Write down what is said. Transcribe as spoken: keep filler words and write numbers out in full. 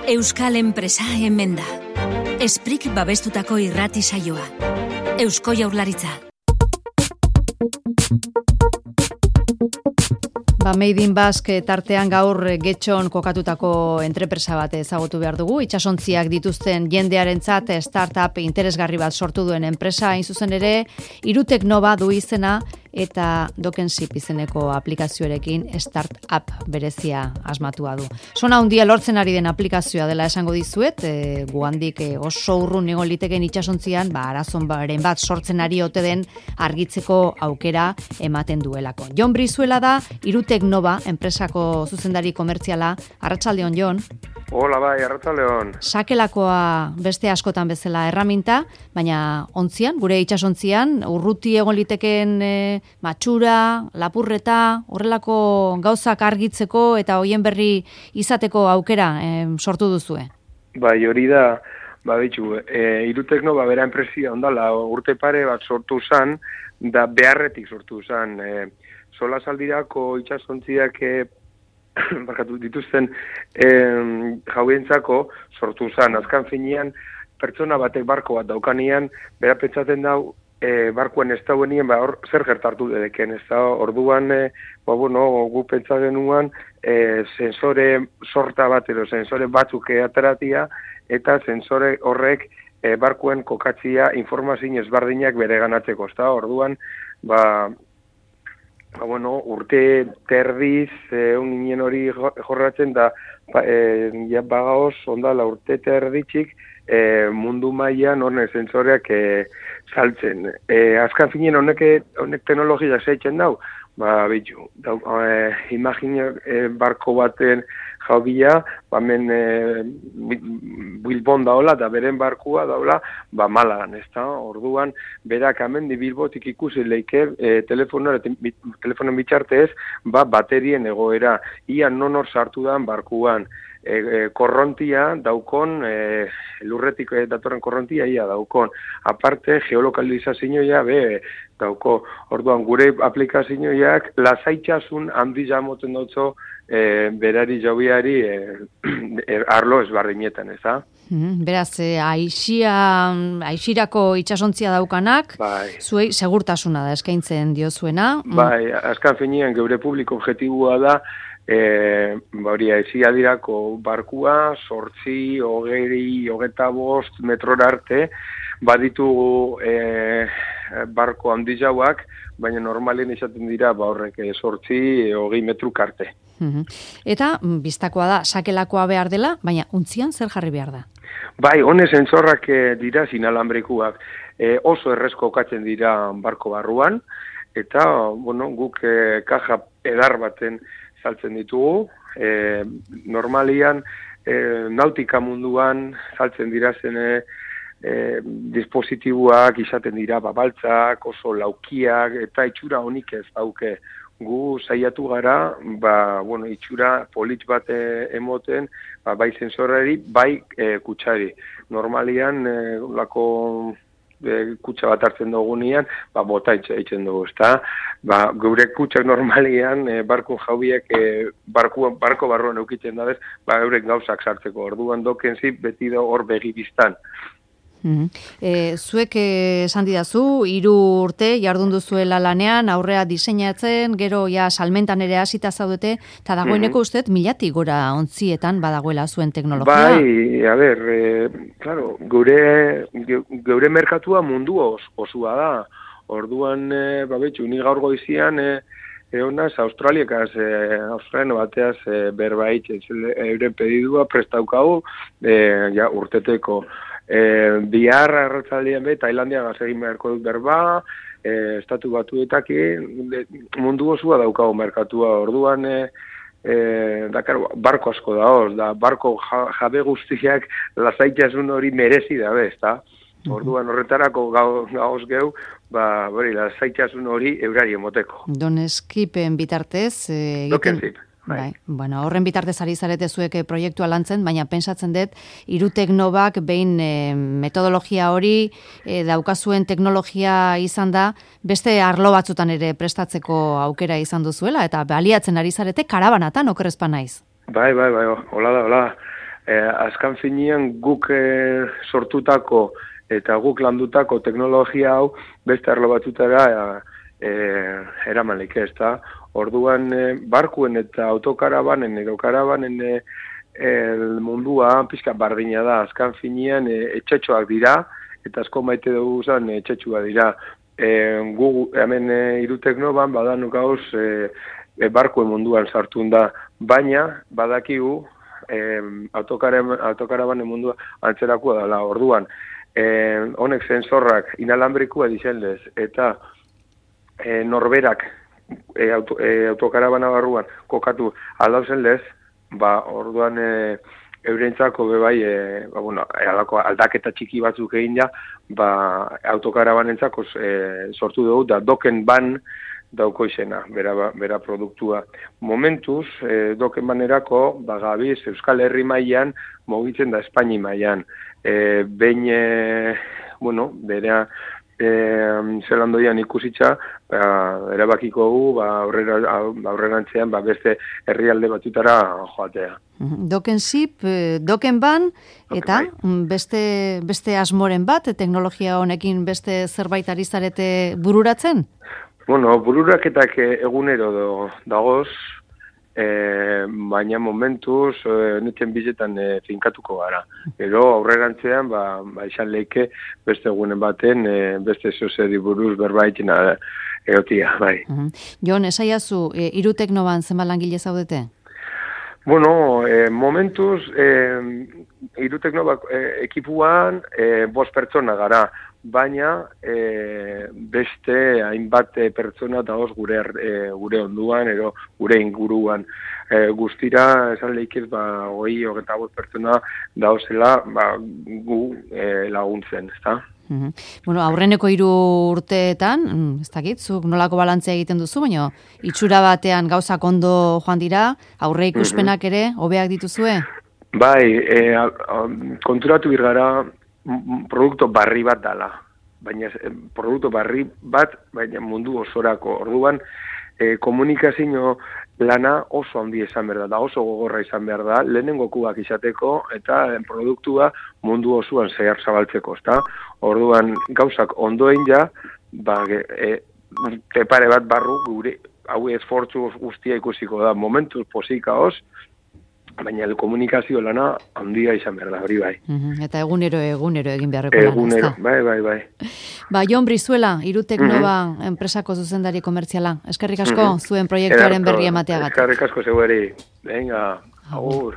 Euskal enpresa hemen da. Esprik babestutako irrati saioa. Eusko Jaurlaritza. Ba, Made in Basque tartean gaur Getxon kokatutako entrepresa bat ezagutu behar dugu. Itsasontziak dituzten jendearentzat startup interesgarri bat sortu duen enpresa, hain zuzen ere, Irutek Nova du izena eta Dokenship izeneko aplikazioarekin startup berezia asmatua du. Sona handia lortzen ari den aplikazioa dela esango dizuet, e, guandik e, oso urrun egon liteken itsasontzian, ba, arazon baren bat sortzen ari ote den argitzeko aukera ematen duelako. Jon Brizuela da, Irutek Nova, enpresako zuzendari komertziala. Arratsaldeon, Jon. Hola bai, arratsaldeon. Sakelakoa beste askotan bezala erraminta, baina ontzian, gure itsasontzian, urruti egon liteken e, matxura, lapurreta, horrelako gauzak argitzeko eta hoien berri izateko aukera e, sortu duzue. Bai, hori da, ba bitxu, e, Irutek Nova bera enpresia ondala, urte pare bat sortu zan, da beharretik sortu zan, e, sola saldirako itsasontziak e, barkatu dituzten e, jauentzako sortu zan. Azkan finean, pertsona batek barko bat daukanean, bera pentsaten dau, e, barkoan ez dauenien, ba, hor, zer gertartu dedeken, ez da, orduan, e, ba, bueno, gu pentsatzen nuan, e, sensore sorta bat, edo sensore batzuk ateratia, eta sensore horrek e, barkoen kokatzia informazio ezberdinak bere ganatzeko, ez da, orduan, ba, Ba, bueno, urte terdiz, eh, uninen hori jorratzen da, ba, eh, ja, bagaoz, ondala urte terditxik, eh, mundu mailan horne sensoreak eh, saltzen. Eh, azkan finen honek, honek teknologia zeitzen dau, ba, bitu, dau, eh, imagina eh, barko baten jaubia, ba, men eh, Bilbon daola, da beren barkua daola, ba, Malagan, ez da, orduan, berak amendi Bilbotik ikusi leike, e, telefonoan, telefonoan bitxartez, ba, baterien egoera, ia nonor sartu dan barkuan, e, e, korrontia daukon, e, lurretik e, datorren korrontia ia daukon, aparte, geolokalizazioa be dauko, orduan, gure aplikazioak lasaitxasun handi jamoten dautzo, e, berari jaubiari e, e, arlo ezbarrinetan, ez da? Beraz, eh, aixia, aixirako itsasontzia daukanak, bai. Zuei segurtasuna da eskaintzen diozuena. Bai, azkan finean geure publiko objetibua da, e, hori aixia dirako barkua, sortzi, hogei, hogeta bost, metrora arte, baditugu e, barko handi jauak, baina normalen izaten dira, ba horrek sortzi, hogei metruk arte. Eta, biztakoa da, sakelakoa behar dela, baina untzian zer jarri behar da? Bai, hone sensorrak e, dira sinalambrikuak, e, oso errezko okatzen dira barko barruan, eta, bueno, guk e, kaja edar baten saltzen ditugu, e, normalian e, nautika munduan saltzen dira zen e, e, dispositiboak izaten dira babaltzak, oso laukiak, eta itxura honik ez dauke. Gu saiatu gara, ba, bueno, itxura polit bat e, emoten, ba, bai sensorari, bai e, kutsari. Normalian, e, lako e, kutsa bat hartzen dugunean, ba, bota eitzen dugu, ezta? Ba, gure kutsak normalian, e, barko jaubiek, e, barko, barko barruan eukiten dabez, ba, eurek gauzak sartzeko. Orduan Dokenship beti da hor begi biztan. Mm-hmm. E, zuek esan didazu, hiru urte jardun duzuela lanean, aurrea diseinatzen, gero ja salmentan ere hasita zaudete, eta dagoeneko mm-hmm. ustez milatik gora ontzietan badagoela zuen teknologia. Bai, a ber, e, claro, gure, geure merkatua mundu os, osua da. Orduan, e, babetxu, ni gaur goizian, e, egonaz, Australiakaz, e, Australiano bateaz e, berbait, euren pedidua prestaukau, e, ja, urteteko. E, bihar arratzaldean be, Tailandia gazegin beharko dut berba, e, estatu batuetaki, mundu osua daukago merkatua, orduan, e, e, dakar, barko asko da hoz, da barko jabe guztiak lasaitasun hori merezi da bez, da? Orduan horretarako gauz geu, ba, bori, lasaitasun hori eurari emoteko. Doneskipen bitartez, e, egiten... Dokenship. Bai. Bai. Bueno, horren bitartez ari zarete zuek proiektua lantzen, baina pentsatzen dut Irutek Novak behin e, metodologia hori e, daukazuen teknologia izan da, beste arlo batzutan ere prestatzeko aukera izan duzuela, eta baliatzen ari zarete karabanatan, okerrezpa naiz. Bai, bai, bai, hola da, hola. E, azkan finean guk e, sortutako eta guk landutako teknologia hau beste arlo batutara e, eramanlik ez da. Orduan e, barkuen eta autokarabanen edo karabanen e, el mundua pizka bardina da. Azkan finean e, etxetxoak dira eta asko maite dugu zen etxetxua dira. E, gu hemen e, Iruteknoban badan gauz e, e, barkuen munduan sartun da, baina badakigu e, autokarabanen mundua antzerakoa dela. Orduan E, honek sensorrak inalambrikua dizenlez, eta e, norberak e, auto, e, autokarabana barruan kokatu aldauzen lez, ba, orduan e, eurentzako bebai, e, ba, bueno, alako aldaketa txiki batzuk egin ja, ba, autokarabanentzako e, sortu dugu, da doken ban dauko izena, bera, bera produktua. Momentuz, e, doken banerako, ba, gabiz, Euskal Herri mailan mugitzen da Espaini mailan. E, behin, e, bueno, berea e, zelandoian ikusitza, ba, erabakiko gu, ba, aurrera, aurrerantzean ba, beste herrialde batutara joatea. Doken zip, doken ban, eta beste, beste asmoren bat, teknologia honekin beste zerbait ari zarete bururatzen? Bueno, bururaketak egunero do, dagoz, e, baina momentuz e, netzen bizetan e, finkatuko gara. Gero aurrerantzean, ba, ba izan leike beste egunen baten, e, beste zozeri buruz berbaitina egotia, bai. Uh-huh. Jon, esaiazu, e, Iruteknoban zenbat langile zaudete? Bueno, e, momentuz, e, Iruteknobak e, ekipuan e, bost pertsona gara, baina e, beste hainbat pertsona dagoz gure e, gure onduan edo gure inguruan. E, guztira esan lehikiz ba hogei hogeita bost pertsona dauzela ba, gu e, laguntzen, ezta? Uh-huh. Bueno, aurreneko hiru urteetan, ez dakit, zuk nolako balantzea egiten duzu, baina itxura batean gauzak ondo joan dira, aurre ikuspenak ere hobeak dituzue? Bai, e, a, a, konturatu birgara produktu barri bat dala, baina produktu barri bat, baina mundu osorako. Orduan, e, komunikazio lana oso handi izan behar da, da oso gogorra izan behar da, lehenengo kubak izateko eta produktua mundu osoan zehar zabaltzeko, ezta? Orduan, gauzak ondoen ja, ba, e, pare bat barru, gure, hau esfortzu guztia ikusiko da, momentuz posikaoz, baina komunikazio lana handia izan behar da, hori bai. Uh-huh. Eta egunero, egunero egin beharreko lana, egunero, bai, bai, bai. Ba, Jon Brizuela, Iruteknova uh-huh. enpresako zuzendari komertziala. Eskerrik asko uh-huh. zuen proiektuaren berri emateagatik. Eskerrik asko zeueri. Venga, agur.